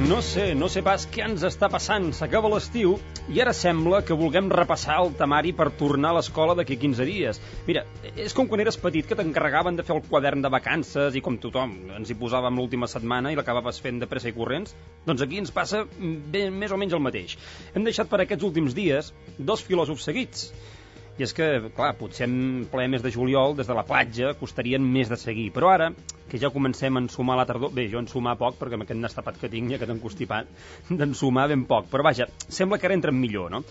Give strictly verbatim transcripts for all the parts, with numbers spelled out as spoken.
No sé, no sé pas què ens està passant. S'acaba l'estiu i ara sembla que vulguem repassar el temari per tornar a l'escola d'aquí quinze dies. Mira, és com quan eres petit que t'encarregaven de fer el quadern de vacances i com tothom ens hi posàvem l'última setmana i l'acabaves fent de pressa i corrents. Doncs aquí ens passa ben, més o menys el mateix. Hem deixat per aquests últims dies dos filòsofs seguits. I és que, clar, potser en ple mes de juliol, des de la platja, costarien més de seguir. Però ara, que ja comencem a ensumar la tardor... Bé, jo ensumar poc, perquè amb aquest nastapat que tinc, ja que t'he encostipat, d'ensumar ben poc. Però vaja, sembla que ara entren millor, no?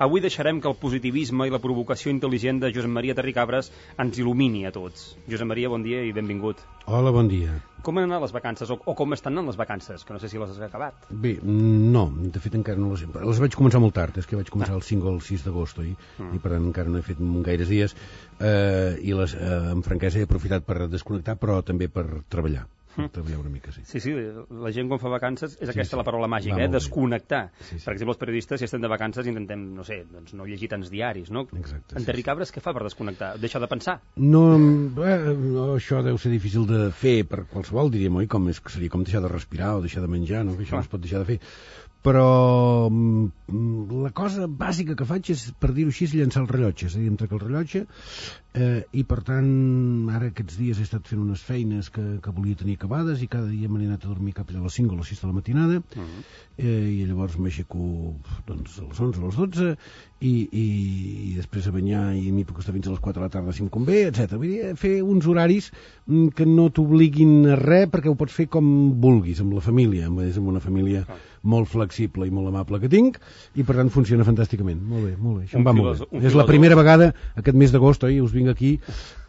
Avui deixarem que el positivisme i la provocació intel·ligent de Josep Maria Terricabras ens il·lumini a tots. Josep Maria, bon dia i benvingut. Hola, bon dia. Com han anat les vacances, o, o com estan anant les vacances? Que no sé si les has acabat. Bé, no, de fet encara no les... Les vaig començar molt tard, és que vaig començar ah. el cinc o el sis d'agost, oi? Mm. I per tant encara no he fet gaires dies. Eh, I les, eh, amb franquesa he aprofitat per desconnectar, però també per treballar. Mm. Treballar una mica, sí. Sí, sí, la gent quan fa vacances és sí, aquesta sí. la paraula màgica, eh? Desconnectar. Sí, sí. Per exemple, els periodistes, si estem de vacances, intentem, no sé, doncs no llegir tants diaris, no? Exacte. En Terricabras, sí, sí. Què fa per desconnectar? Deixa de pensar? No, eh, no, això deu ser difícil de fer per qualsevol, diríem, oi? Com és, seria com deixar de respirar o deixar de menjar, no? Que això no es pot deixar de fer. Però la cosa bàsica que faig és, per dir-ho així, llançar el rellotge, és a dir, em trec el rellotge eh, i per tant ara aquests dies he estat fent unes feines que, que volia tenir acabades i cada dia m'he anat a dormir cap a les cinc o les sis de la matinada. Uh-huh. eh, i llavors m'aixeco doncs, a les onze o a les dotze i, i, i després a banyar i m'hi puc estar fins a les quatre de la tarda si em convé, etcètera. Vull dir, fer uns horaris que no t'obliguin a res perquè ho pots fer com vulguis, amb la família, és amb una família uh-huh. molt flexible i molt amable que tinc i per tant funciona fantàsticament. Molt bé, molt bé. Això em va molt bé. És la primera vegada aquest mes d'agost, oi? Us vinc aquí,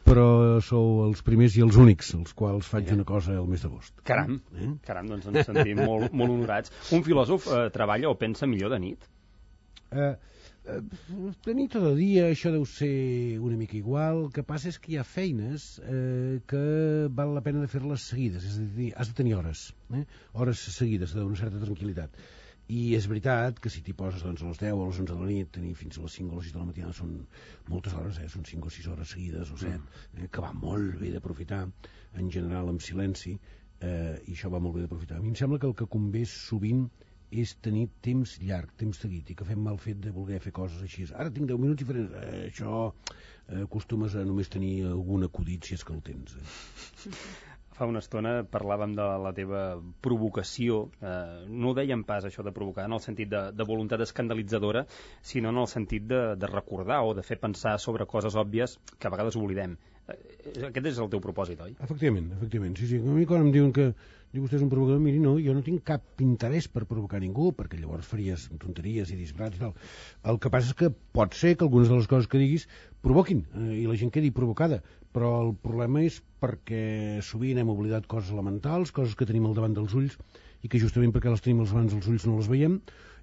però sou els primers i els únics els quals faig una cosa el mes d'agost. Caram, eh? Caram, doncs ens sentim molt, molt honorats. Un filòsof eh, treballa o pensa millor de nit? Eh, eh, de nit o de dia això deu ser una mica igual. El que passa és que hi ha feines eh, que val la pena de fer-les seguides, és a dir, has de tenir hores, eh? hores seguides d'una certa tranquil·litat. I és veritat que si t'hi poses doncs, a les deu o a les onze de la nit, tenir fins a les cinc o les sis de la matinada són moltes hores, eh? Són cinc o sis hores seguides o set, eh? que va molt bé d'aprofitar, en general amb silenci, eh? i això va molt bé d'aprofitar. A mi em sembla que el que convé sovint és tenir temps llarg, temps seguit, i que fem mal fet de voler fer coses així. Ara tinc deu minuts i faré... Eh, això eh, acostumes a només tenir algun acudit si és que el tens. Eh? Fa una estona parlàvem de la teva provocació. Eh, no ho dèiem pas, això de provocar, en el sentit de, de voluntat escandalitzadora, sinó en el sentit de, de recordar o de fer pensar sobre coses òbvies que a vegades oblidem. Eh, aquest és el teu propòsit, oi? Efectivament, efectivament. Sí, sí. A mi quan em diuen que diu vostè és un provocador, miri, no, jo no tinc cap interès per provocar ningú, perquè llavors faries tonteries i disbarats i tal. El que passa és que pot ser que algunes de les coses que diguis provoquin, eh, i la gent quedi provocada, però el problema és perquè sovint hem oblidat coses elementals, coses que tenim al davant dels ulls i que justament perquè les tenim al davant dels ulls no les veiem,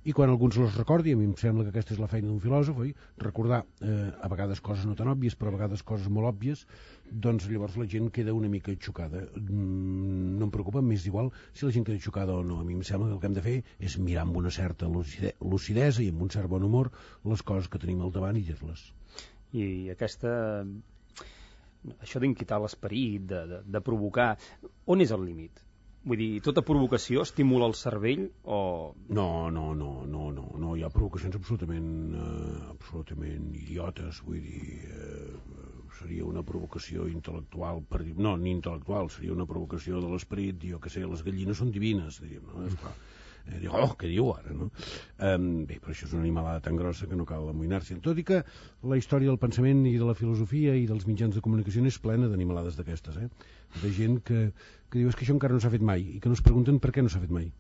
i quan algú ens les recordi, a mi em sembla que aquesta és la feina d'un filòsof, oi? Recordar eh, a vegades coses no tan òbvies, però a vegades coses molt òbvies, doncs llavors la gent queda una mica xocada. Mm, no em preocupa, m'és igual si la gent queda xocada o no. A mi em sembla que el que hem de fer és mirar amb una certa lucidesa i amb un cert bon humor les coses que tenim al davant i dir-les. I aquesta... això d'inquitar l'esperit, de, de, de provocar, on és el límit? Vull dir, tota provocació estimula el cervell o... No, no, no, no, no, no. Hi ha provocacions absolutament, eh, absolutament idiotes, vull dir, eh, seria una provocació intel·lectual, per dir, no, ni intel·lectual, seria una provocació de l'esperit, jo que sé, les gallines són divines, diríem, no? Esclar. Eh, dic, oh, què diu ara, no? Um, bé, però això és una animalada tan grossa que no cal amoïnar-se. Tot i que la història del pensament i de la filosofia i dels mitjans de comunicació és plena d'animalades d'aquestes, eh? De gent que, que diu és que això encara no s'ha fet mai i que no es pregunten per què no s'ha fet mai.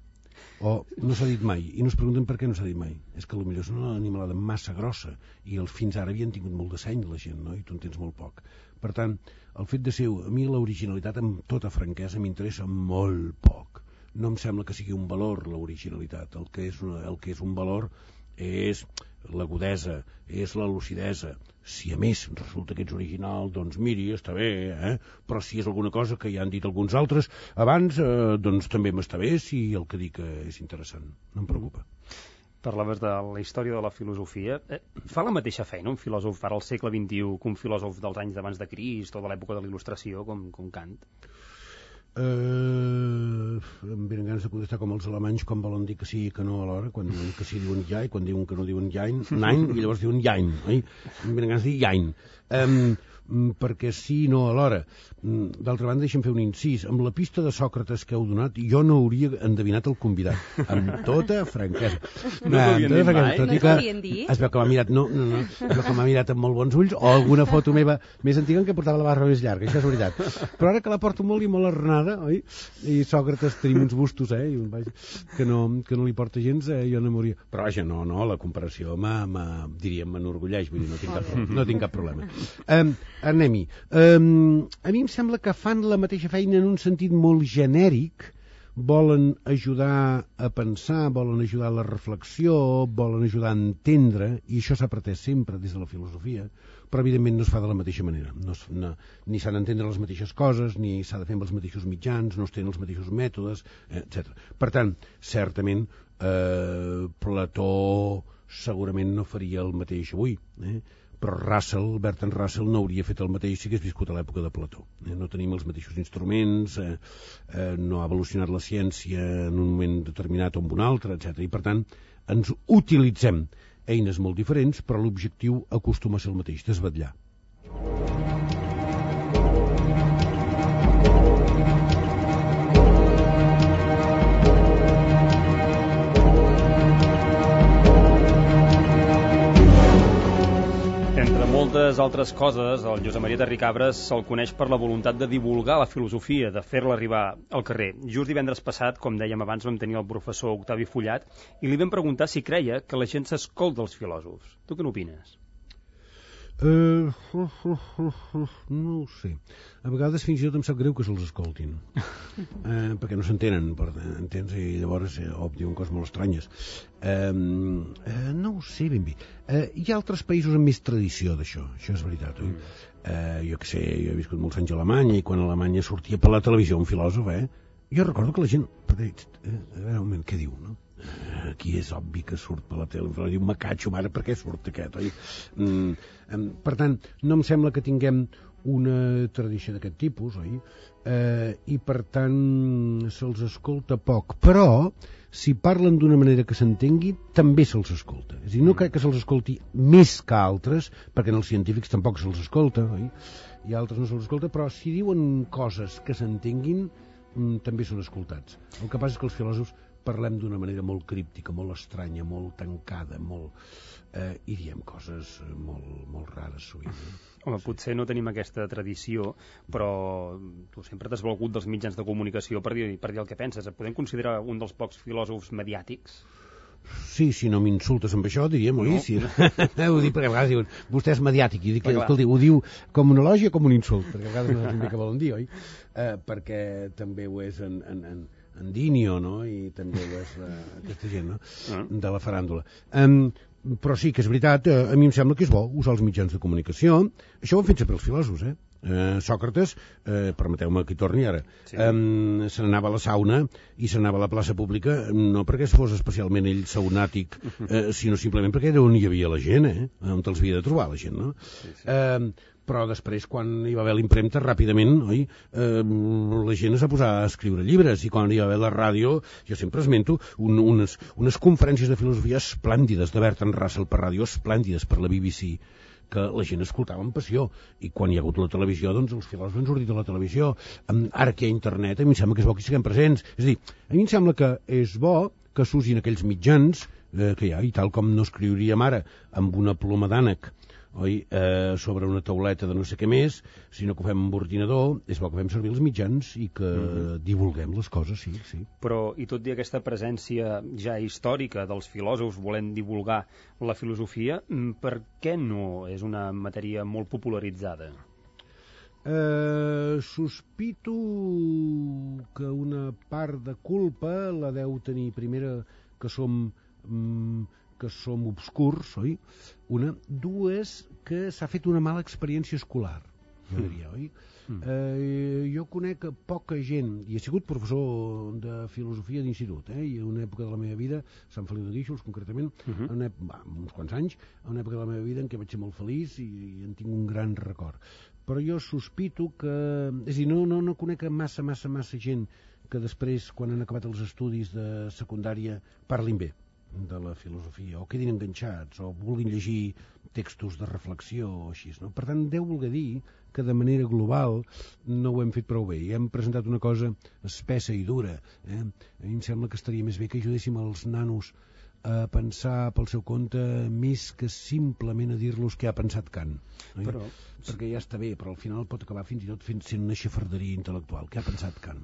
O no s'ha dit mai i no es pregunten per què no s'ha dit mai. És que potser és una animalada massa grossa i el, fins ara havien tingut molt de seny la gent, no? I tu en tens molt poc. Per tant, el fet de ser... A mi l'originalitat, amb tota franquesa, m'interessa molt poc. No em sembla que sigui un valor l'originalitat. El que és, una, el que és un valor és l'agudesa, és la lucidesa. Si a més resulta que ets original, doncs miri, està bé, eh? Però si és alguna cosa que ja han dit alguns altres abans, eh, doncs també m'està bé si el que dic és interessant. No em preocupa. Parlaves de la història de la filosofia. Eh, fa la mateixa feina un filòsof ara al segle vint-i-u que un filòsof dels anys d'abans de Crist o de l'època de la Il·lustració, com, com Kant? Uh, em venen ganes de contestar com els alemanys quan volen dir que sí i que no alhora, quan diuen que sí diuen ja i quan diuen que no diuen jain, nein, i llavors diuen jain, oi? Em venen ganes de dir jain. Um, perquè sí i no alhora. D'altra banda, deixa'm fer un incís. Amb la pista de Sòcrates que heu donat, jo no hauria endevinat el convidat. Amb tota franquesa. No t'ho havien dit mai? No t'ho havien dit? Es veu que m'ha mirat, no, no, no, es veu que m'ha mirat amb molt bons ulls, o alguna foto meva més antiga en què portava la barra més llarga, això és veritat. Però ara que la porto molt i molt arrenada, oi? I Sòcrates tenim uns bustos, eh? I un, vaja, que, no, que no li porta gens, eh? Jo no m'hauria... Però vaja, no, no, la comparació diríem, m'enorgulleix, vull dir, no tinc cap, no tinc cap problema. Um, Anem-hi. Um, a mi em sembla que fan la mateixa feina en un sentit molt genèric, volen ajudar a pensar, volen ajudar a la reflexió, volen ajudar a entendre, i això s'ha pretès sempre des de la filosofia, però evidentment no es fa de la mateixa manera. No, es, no, ni s'han d'entendre les mateixes coses, ni s'ha de fer amb els mateixos mitjans, no es tenen els mateixos mètodes, etcètera. Per tant, certament, eh, Plató segurament no faria el mateix avui, eh? Però Russell, Bertrand Russell, no hauria fet el mateix si hagués viscut a l'època de Plató. Eh? No tenim els mateixos instruments, eh, eh, no ha evolucionat la ciència en un moment determinat o en un altre, etcètera. I per tant, ens utilitzem eines molt diferents, però l'objectiu acostuma a ser el mateix, desvetllar. Moltes altres coses, el Josep Maria Terricabres se'l coneix per la voluntat de divulgar la filosofia, de fer-la arribar al carrer. Just divendres passat, com dèiem abans, vam tenir el professor Octavi Fullat i li vam preguntar si creia que la gent s'escolta els filòsofs. Tu què n'opines? Uh, uh, uh, uh, uh, no ho sé. A vegades fins i tot em sap greu que se'ls escoltin. Uh, perquè no s'entenen, entens? I llavors eh, oh, diuen coses molt estranyes. Uh, uh, no ho sé ben bé. Uh, hi ha altres països amb més tradició d'això, això és veritat, oi? Uh, jo què sé, jo he viscut molts anys a Alemanya i quan a Alemanya sortia per la televisió un filòsof, eh? Jo recordo que la gent... Eh, a veure, un moment, què diu, no? Aquí és obvi que surt per la tele, però diu, me catxo, mare, per què surt aquest, oi? Mm, per tant, no em sembla que tinguem una tradició d'aquest tipus, oi? Eh, I per tant se'ls escolta poc, però si parlen d'una manera que s'entengui, també se'ls escolta. És a dir, no crec que se'ls escolti més que altres, perquè en els científics tampoc se'ls escolta, oi? I altres no se'ls escolta, però si diuen coses que s'entenguin, mm, també són escoltats. El que passa és que els filòsofs parlem d'una manera molt críptica, molt estranya, molt tancada, molt... Eh, i diem coses molt, molt rares sovint. Eh? Home, potser no tenim aquesta tradició, però tu sempre t'has valgut dels mitjans de comunicació per dir, per dir el que penses. Et podem considerar un dels pocs filòsofs mediàtics? Sí, si no m'insultes amb això, diríem, oi? No. Sí. Ho dic perquè a vegades diuen, vostè és mediàtic, i dic, escolti, ho diu com un elogi o com un insult, perquè a vegades no saps ben bé què volen dir, oi? Eh, perquè també ho és en... en, en en Dinio, no? I també ho és la, aquesta gent, no? Uh. De la faràndula. Um, però sí que és veritat, eh, a mi em sembla que és bo usar els mitjans de comunicació. Això ho han fet sempre els filòsofs, eh? Eh, Sòcrates, eh, permeteu-me que hi torni ara, sí. eh, se n'anava a la sauna i se n'anava a la plaça pública, no perquè fos especialment ell saunàtic, eh, sinó simplement perquè era on hi havia la gent, eh? On te'ls havia de trobar la gent, no? Sí, sí. Eh, però després, quan hi va haver l'impremta, ràpidament, oi, eh, la gent es va posar a escriure llibres, i quan hi va haver la ràdio, jo sempre esmento un, unes, unes conferències de filosofia esplèndides de Bertrand Russell per ràdio, esplèndides per la B B C, que la gent escoltava amb passió, i quan hi ha hagut la televisió, doncs els filòsofs han sortit de la televisió. Ara que hi ha internet, a mi em sembla que és bo que hi siguem presents. És a dir, a mi em sembla que és bo que s'usin aquells mitjans eh, que hi ha, i tal com no escriuríem ara amb una ploma d'ànec, oi, eh, sobre una tauleta de no sé què més, sinó que ho fem amb ordinador, és bo que fem servir els mitjans i que mm-hmm. divulguem les coses, sí, sí. Però, i tot i aquesta presència ja històrica dels filòsofs volent divulgar la filosofia, per què no és una matèria molt popularitzada? Eh, sospito que una part de culpa la deu tenir primera que som... Mm, que som obscurs, oi? Una. Dues, que s'ha fet una mala experiència escolar, jo diria, oi? Mm. Eh, jo conec poca gent, i he sigut professor de filosofia d'institut, eh? I en una època de la meva vida, Sant Feliu de Guíxols, concretament, uh-huh. en una, bah, uns quants anys, en una època de la meva vida en què vaig ser molt feliç i, i en tinc un gran record. però jo sospito que... És a dir, no, no, no conec massa, massa, massa gent que després, quan han acabat els estudis de secundària, parlin bé de la filosofia, o quedin enganxats, o vulguin llegir textos de reflexió o així, no? Per tant, deu voler dir que de manera global no ho hem fet prou bé. I hem presentat una cosa espessa i dura. Eh? A mi em sembla que estaria més bé que ajudéssim els nanos a pensar pel seu compte més que simplement a dir-los què ha pensat Kant. No? Però... perquè ja està bé, però al final pot acabar fins i tot fent sent una xafarderia intel·lectual. Què ha pensat Kant?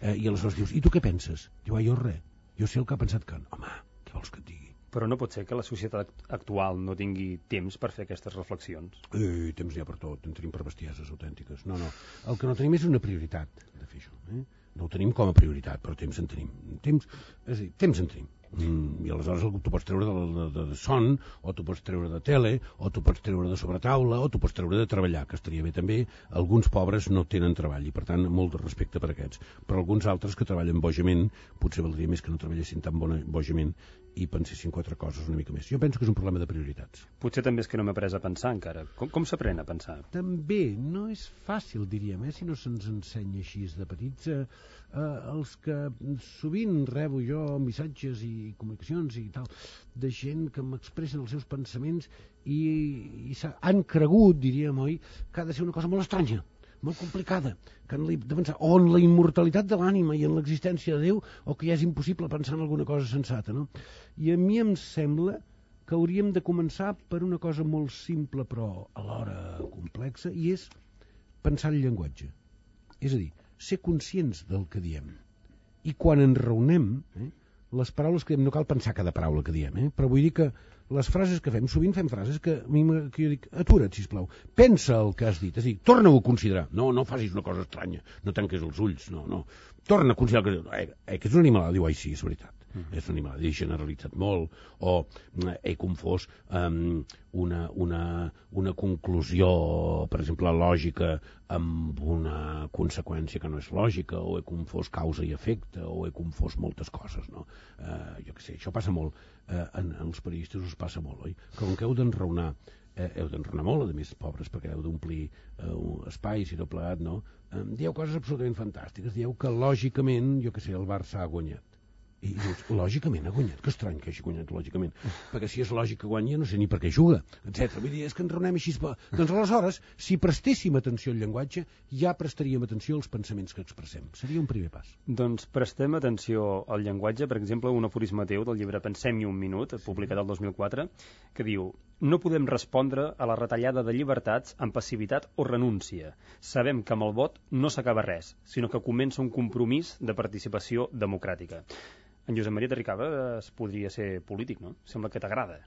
Eh, I aleshores dius, i tu què penses? Diu, ah, jo res, jo sé el que ha pensat Kant. Home, què vols que et digui? Però no pot ser que la societat actual no tingui temps per fer aquestes reflexions. Eh, temps n'hi ha per tot, en tenim per bestieses autèntiques. No, no, el que no tenim és una prioritat de fer això. Eh? No ho tenim com a prioritat, però temps en tenim. Temps, és a dir, temps en tenim. Mm, i aleshores tu pots treure de, de, de, de son, o tu pots treure de tele, o tu pots treure de sobretaula, o tu pots treure de treballar, que estaria bé també. Alguns pobres no tenen treball i per tant molt de respecte per aquests, però alguns altres que treballen bojament potser valdria més que no treballessin tan bona, bojament i pensessin quatre coses una mica més. Jo penso que és un problema de prioritats. Potser també és que no m'he après a pensar encara. Com, com s'aprèn a pensar? També no és fàcil, diríem, eh, si no se'ns ensenya així de petits. Eh, eh, els que sovint rebo jo missatges i comunicacions i tal, de gent que m'expressen els seus pensaments i, i han cregut, diríem, oi, que ha de ser una cosa molt estranya, molt complicada, que han de pensar o en la immortalitat de l'ànima i en l'existència de Déu, o que ja és impossible pensar en alguna cosa sensata, no? I a mi em sembla que hauríem de començar per una cosa molt simple però alhora complexa, i és pensar el llenguatge. És a dir, ser conscients del que diem. I quan ens raonem, eh, les paraules que diem, no cal pensar cada paraula que diem, eh, però vull dir que les frases que fem, sovint fem frases que, a mi, que jo dic, atura't, sisplau, pensa el que has dit, és a dir, torna-ho a considerar, no, no facis una cosa estranya, no tanquis els ulls, no, no, torna a considerar que, eh, eh, que és una animalada, diu, ai sí, és veritat, mm. és una animalada, he generalitzat molt, o eh, he confós um, una, una, una conclusió, per exemple, lògica, amb una conseqüència que no és lògica, o he confós causa i efecte, o he confós moltes coses, no? Eh, jo què sé, això passa molt, eh, en, en els periodistes us passa molt, oi? Que com que heu d'enraonar, eh, heu d'enraonar molt, a més, pobres, perquè heu d'omplir eh, espais i tot plegat, no? Eh, dieu coses absolutament fantàstiques, dieu que lògicament, jo què sé, el Barça ha guanyat. I dius, lògicament ha guanyat, que estrany que hagi guanyat lògicament, perquè si és lògic que guanya no sé ni per què juga, etcètera. Vull dir, és que ens raonem així. Doncs aleshores, si prestéssim atenció al llenguatge, ja prestaríem atenció als pensaments que expressem. Seria un primer pas. Doncs prestem atenció al llenguatge, per exemple, un aforisme teu del llibre Pensem-hi un minut, publicat el dos mil quatre, que diu: no podem respondre a la retallada de llibertats amb passivitat o renúncia. Sabem que amb el vot no s'acaba res, sinó que comença un compromís de participació democràtica. En Josep Maria Terricabas podria ser polític, no? Sembla que t'agrada.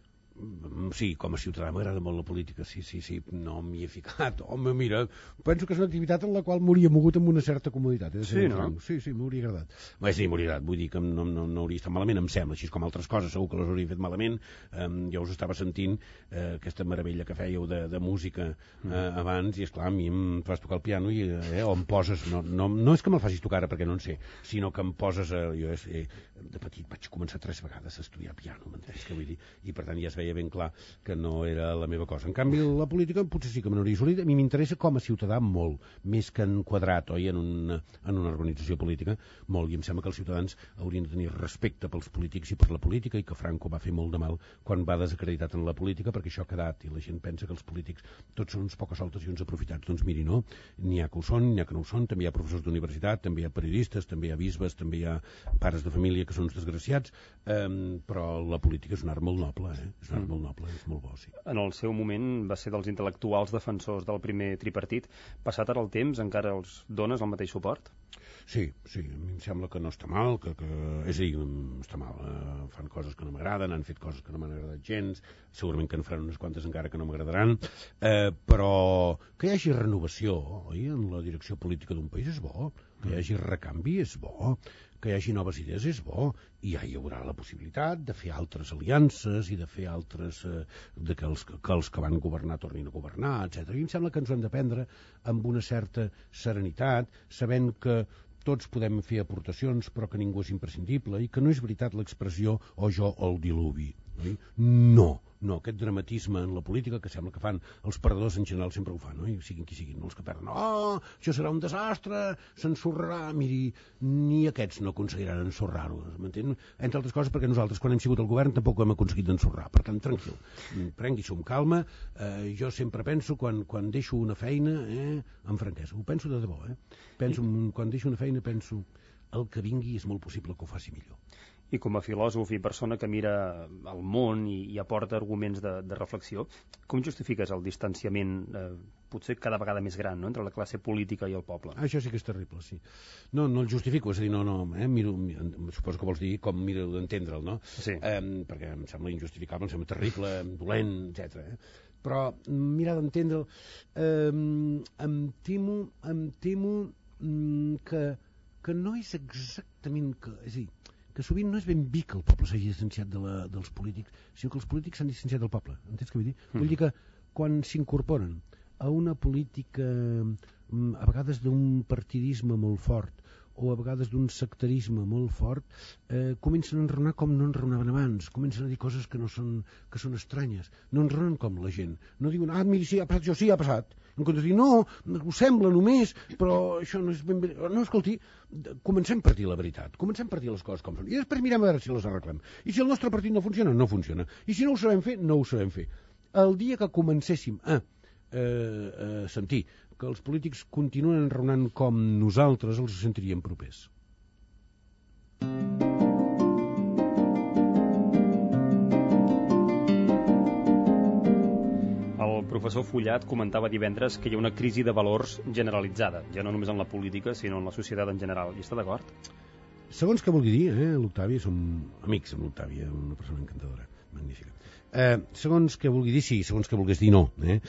Sí, com a ciutadà m'agrada molt la política, sí, sí, sí, no m'hi he ficat. Home, mira, penso que és una activitat en la qual m'hauria mogut amb una certa comoditat. Sí, no? Sí, sí, m'hauria agradat. Bé, sí, m'hauria agradat, vull dir que no, no, no hauria estat malament, em sembla, així com altres coses, segur que les hauria fet malament. Eh, jo us estava sentint eh, aquesta meravella que fèieu de, de música eh, abans, i esclar, a mi em fas tocar el piano i, eh, o em poses, no, no, no és que me'l facis tocar ara perquè no en sé, sinó que em poses, eh, jo eh, de petit vaig començar tres vegades a estudiar piano, m'entens què vull dir? I per tant ja es veia ben clar que no era la meva cosa. En canvi, la política potser sí que me n'hauria solit. A mi m'interessa com a ciutadà molt, més que en quadrat, oi, en una, en una organització política, molt, i em sembla que els ciutadans haurien de tenir respecte pels polítics i per la política, i que Franco va fer molt de mal quan va desacreditat en la política, perquè això ha quedat, i la gent pensa que els polítics tots són uns pocs soltes i uns aprofitats. Doncs miri, no, n'hi ha que ho són, n'hi ha que no ho són, també hi ha professors d'universitat, també hi ha periodistes, també hi ha bisbes, també hi ha pares de família que són uns desgraciats, eh, però la política és un art molt noble, eh? És un art molt noble. És molt bo, sí. En el seu moment va ser dels intel·lectuals defensors del primer tripartit. Passat ara el temps, encara els dones el mateix suport? Sí, sí, a mi em sembla que no està mal, que, que... és a dir, està mal, eh? Fan coses que no m'agraden, han fet coses que no m'han agradat gens, segurament que en faran unes quantes encara que no m'agradaran, eh, però que hi hagi renovació, oi? En la direcció política d'un país és bo, que hi hagi recanvi és bo, que hi hagi noves idees és bo, i ja hi haurà la possibilitat de fer altres aliances i de fer altres, eh, de que els, que els que van governar tornin a governar, etcètera. I em sembla que ens ho hem de prendre amb una certa serenitat, sabent que tots podem fer aportacions però que ningú és imprescindible, i que no és veritat l'expressió o jo o el diluvi. oi? No, no, aquest dramatisme en la política que sembla que fan els perdedors en general sempre ho fan, no? I siguin qui siguin, no els que perden. Oh, això serà un desastre, s'ensorrarà. Miri, ni aquests no aconseguiran ensorrar-ho, m'entén? Entre altres coses perquè nosaltres, quan hem sigut al govern, tampoc ho hem aconseguit d'ensorrar. Per tant, tranquil, prengui-s'ho amb calma. Eh, jo sempre penso, quan, quan deixo una feina, eh, amb franquesa, ho penso de debò, eh? Penso, quan deixo una feina, penso, el que vingui és molt possible que ho faci millor. I com a filòsof i persona que mira el món i, i aporta arguments de, de reflexió, com justifiques el distanciament eh, potser cada vegada més gran, no?, entre la classe política i el poble? Ah, això sí que és terrible, sí. No, no el justifico, és a dir, no, no, eh, miro, suposo que vols dir com miro d'entendre'l, no? Sí. Eh, perquè em sembla injustificable, em sembla terrible, dolent, etcètera. Eh? Però mirar d'entendre'l, eh, em temo, em temo mm, que, que no és exactament... Que, és a dir, que sovint no és ben bé que el poble s'hagi distanciat de la, dels polítics, sinó que els polítics s'han distanciat del poble. Entens què vull dir? Mm. Vull dir que quan s'incorporen a una política, a vegades d'un partidisme molt fort, o a vegades d'un sectarisme molt fort, eh, comencen a enraonar com no enraonaven abans, comencen a dir coses que no són, que són estranyes, no enraonen com la gent, no diuen, ah, mira, sí, ha passat, això sí, ha passat, en comptes de dir, no, ho sembla només, però això no és ben bé, no, escolti, comencem per dir la veritat, comencem per dir les coses com són, i després mirem a veure si les arreglem, i si el nostre partit no funciona, no funciona, i si no ho sabem fer, no ho sabem fer. El dia que comencéssim a eh, eh, sentir que els polítics continuen enraonant com nosaltres, els sentiríem propers. El professor Fullat comentava divendres que hi ha una crisi de valors generalitzada, ja no només en la política, sinó en la societat en general. Hi està d'acord? Segons què vulgui dir, eh, l'Octavi, som amics amb l'Octavi, una persona encantadora, magnífica. Eh, segons què vulgui dir, sí, segons què volgués dir, no. Eh?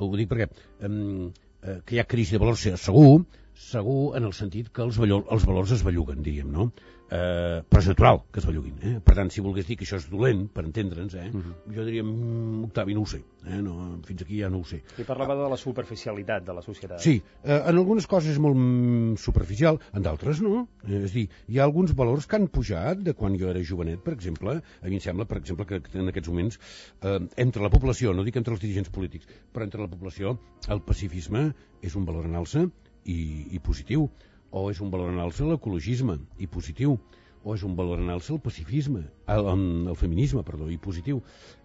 Ho dic perquè... Eh, que hi ha crisi de valors, segur, segur en el sentit que els, valor, els valors es belluguen, diríem, no? Eh, però és natural que es belluguin. Eh? Per tant, si volgués dir que això és dolent, per entendre'ns, eh? uh-huh. jo diria, mm, Octavi, no ho sé. Eh? No, fins aquí ja no ho sé. I parlava de la superficialitat de la societat. Sí, eh, en algunes coses és molt mm, superficial, en d'altres no. Eh, és a dir, hi ha alguns valors que han pujat de quan jo era jovenet, per exemple. A mi em sembla, per exemple, que en aquests moments, eh, entre la població, no dic entre els dirigents polítics, però entre la població, el pacifisme és un valor en alça i, i positiu, o és un valor en alça l'ecologisme i positiu, o és un valor en alça el pacifisme, el, el feminisme, perdó, i positiu.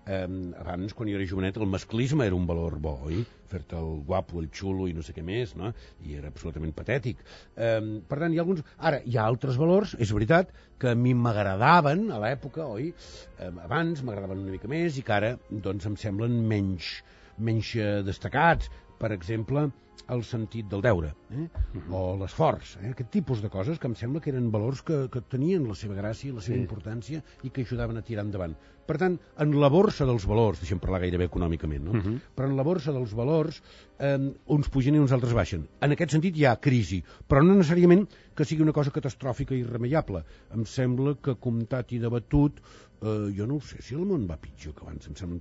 Eh, abans, quan jo era jovenet, el masclisme era un valor bo, oi? Fer-te el guapo, el xulo i no sé què més, no? I era absolutament patètic. Eh, per tant, hi ha alguns... Ara, hi ha altres valors, és veritat, que a mi m'agradaven a l'època, oi? Eh, abans m'agradaven una mica més i que ara, doncs, em semblen menys, menys eh, destacats. Per exemple, el sentit del deure, eh? uh-huh. o l'esforç, eh? aquest tipus de coses que em sembla que eren valors que, que tenien la seva gràcia, la seva sí. importància i que ajudaven a tirar endavant. Per tant, en la borsa dels valors, deixem parlar gairebé econòmicament, no? Uh-huh. però en la borsa dels valors eh, uns pugen i uns altres baixen. En aquest sentit hi ha crisi, però no necessàriament que sigui una cosa catastròfica i irremeiable. Em sembla que comptat i debatut, eh, jo no ho sé, si el món va pitjor que abans, em sembla,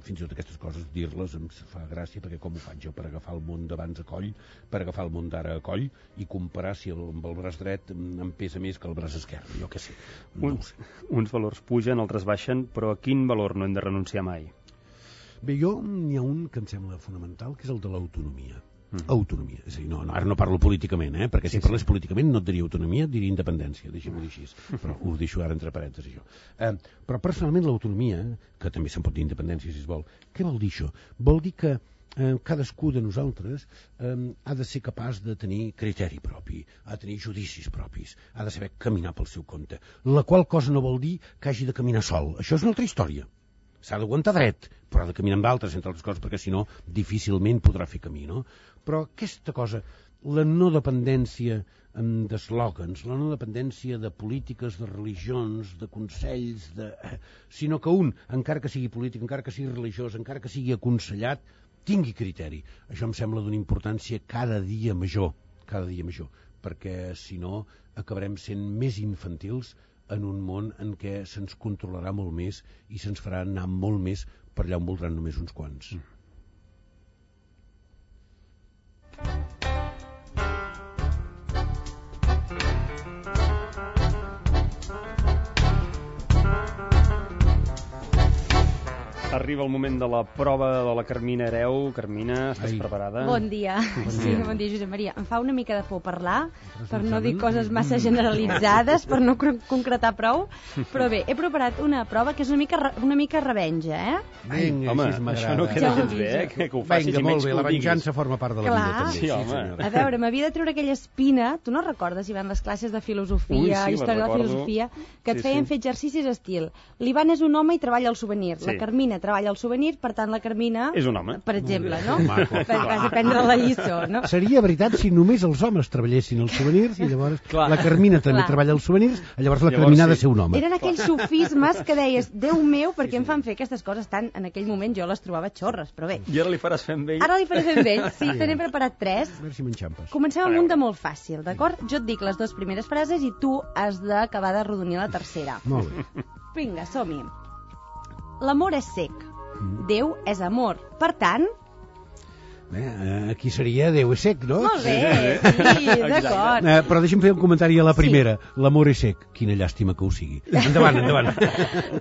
fins i tot aquestes coses dir-les em fa gràcia, perquè com ho faig jo per agafar el món d'abans a coll, per agafar el món d'ara a coll i comparar si el, amb el braç dret em pesa més que el braç esquerre, jo què sé. No uns, sé. Uns valors pugen, altres baixen, però a quin valor no hem de renunciar mai? Bé, jo n'hi ha un que em sembla fonamental, que és el de l'autonomia. Mm. Autonomia, és a dir, no, no, ara no parlo políticament, eh? perquè si sí, parlés sí. políticament no et diria autonomia, et diria independència, deixem-ho dir així, però ho deixo ara entre parèntesis jo. Eh, però personalment l'autonomia, que també se'n pot dir independència si es vol, què vol dir això? Vol dir que eh, cadascú de nosaltres eh, ha de ser capaç de tenir criteri propi, ha de tenir judicis propis, ha de saber caminar pel seu compte, la qual cosa no vol dir que hagi de caminar sol, això és una altra història. S'ha d'aguantar dret, però ha de caminar amb d'altres, entre altres coses, perquè si no, difícilment podrà fer camí, no? Però aquesta cosa, la no dependència d'eslògans, la no dependència de polítiques, de religions, de consells, de... sinó que un, encara que sigui polític, encara que sigui religiós, encara que sigui aconsellat, tingui criteri. Això em sembla d'una importància cada dia major, cada dia major, perquè si no acabarem sent més infantils en un món en què se'ns controlarà molt més i se'ns farà anar molt més per allà on voldran només uns quants. Mm. Arriba el moment de la prova de la Carmina Hereu. Carmina, estàs Ai. preparada? Bon dia. Bon Sí, dia. bon dia, Josep Maria. Em fa una mica de por parlar, per no dir coses massa generalitzades, per no cr- concretar prou, però bé, he preparat una prova que és una mica, re- una mica revenja, eh? Vinga, Home, així m'agrada. això no Ja queda ho gens bé, eh? aviso. Que, que ho facis Vinga, i molt menys bé, que la ho diguis. venjança forma part de la Clar. vida, també. Sí, home. senyora. A veure, m'havia de treure aquella espina, tu no recordes, Ivan, les classes de filosofia, Ui, sí, les història de la recordo. filosofia, que et Sí, feien sí. fer exercicis estil. L'Ivan és un home i treballa al souvenir, Sí. la Carmina treballa al souvenir, per tant la Carmina, És un home. per exemple, no? Maco. Per, vas prendre la lliçó, no? Seria veritat si només els homes treballessin els souvenirs i llavors Clar. la Carmina també Clar. treballa els souvenirs, llavors la Llavors Carmina ha de sí. ser un home. Eren aquells sofismes que deies, Déu meu, per què em fan fer aquestes coses tan... En aquell moment jo les trobava xorres, però bé. I ara li faràs fer amb ell? Ara li faré fer amb ell, sí, te n'he preparat tres. A veure si m'enxampes. Comencem A amb veure. un de molt fàcil, d'acord? Jo et dic les dues primeres frases i tu has d'acabar de rodonir la tercera. Molt bé. Vinga, som-hi. L'amor és sec. Déu és amor. Per tant... Bé, eh, aquí seria Déu és sec, no? Molt bé, sí, d'acord. Eh, però deixa'm fer un comentari a la Sí. primera. L'amor és sec. Quina llàstima que ho sigui. Endavant, endavant.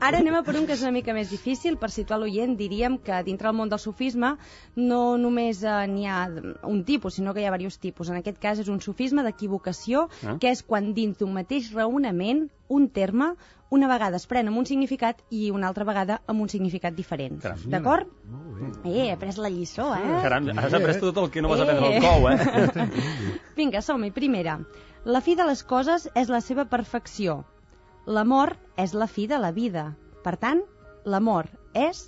Ara anem a per un que és una mica més difícil. Per situar l'oient, diríem que dintre del món del sofisme no només eh, n'hi ha un tipus, sinó que hi ha diversos tipus. En aquest cas és un sofisme d'equivocació, Ah. que és quan dins d'un mateix raonament un terme una vegada es pren amb un significat i una altra vegada amb un significat diferent. Caram. D'acord? Molt bé. Eh, he après la lliçó, eh? Caram, has après tot el que no vas Eh. aprendre al cou, eh? Vinga, som-hi. Primera. La fi de les coses és la seva perfecció. L'amor és la fi de la vida. Per tant, l'amor és...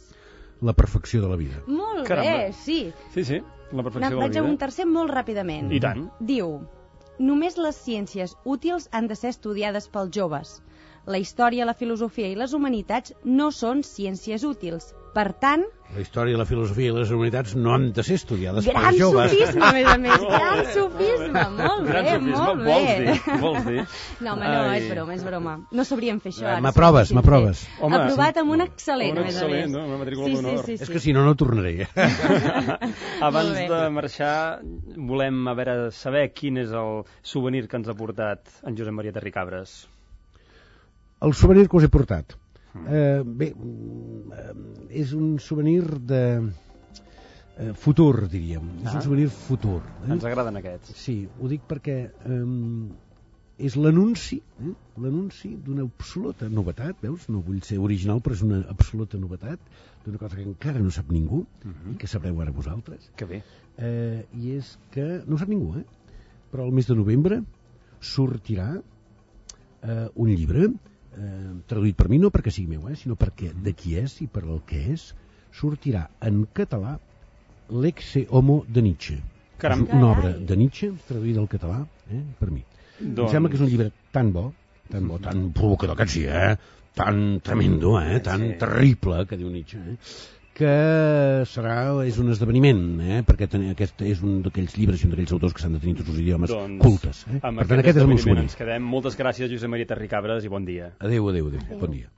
La perfecció de la vida. Molt Caramba. bé, sí. Sí, sí, la perfecció de la Vaig a vida. un tercer molt ràpidament. I tant. Diu, només les ciències útils han de ser estudiades pels joves. La història, la filosofia i les humanitats no són ciències útils. Per tant, La història, la filosofia i les humanitats no han de ser estudiades gran pels joves. sofisme, a més a més. Gran sofisme. Molt Gran bé, sofisme, molt bé. vols dir, vols dir? No, home, no, Ai. és broma, és broma. No sabríem fer això. Eh, ara, m'aproves, si ho m'aproves. haguéssim fet. Home, Aprovat amb un sí. excel·lent, Un a més a més. excel·lent, no? Una matrícula sí, d'honor. Sí, sí, És sí. que si no, no tornaré. Abans Molt bé. de marxar, volem a veure, saber quin és el souvenir que ens ha portat en Josep Maria Terricabres. El souvenir que us he portat. Eh, bé, mm, eh, és un souvenir de eh, futur, diríem. És Ah. un souvenir futur. Eh? Ens agraden aquests. Sí, ho dic perquè eh, és l'anunci, eh? l'anunci d'una absoluta novetat, veus? No vull ser original, però és una absoluta novetat, d'una cosa que encara no sap ningú, Mhm. i que sabreu ara vosaltres, Que bé. eh, i és que no ho sap ningú, eh? Però el mes de novembre sortirà eh, un llibre eh, traduït per mi, no perquè sigui meu, eh, sinó perquè de qui és i per el que és, sortirà en català l'Exe Homo de Nietzsche. Caram. És una obra Carai. de Nietzsche traduïda al català, eh, per mi. Doncs- Em sembla que és un llibre tan bo, tan bo, tan provocador que sí, eh? Tan tremendo, eh? Tan Sí. terrible, que diu Nietzsche, eh? que serà, és un esdeveniment, eh? perquè ten, aquest és un d'aquells llibres i un d'aquells autors que s'han de tenir tots els idiomes Doncs, cultes. Eh? amb Per tant, aquest aquest és el meu esdeveniment souvenir. ens quedem. Moltes gràcies, Josep Maria Terricabres, i bon dia. Adéu, adéu, adéu. Bon dia.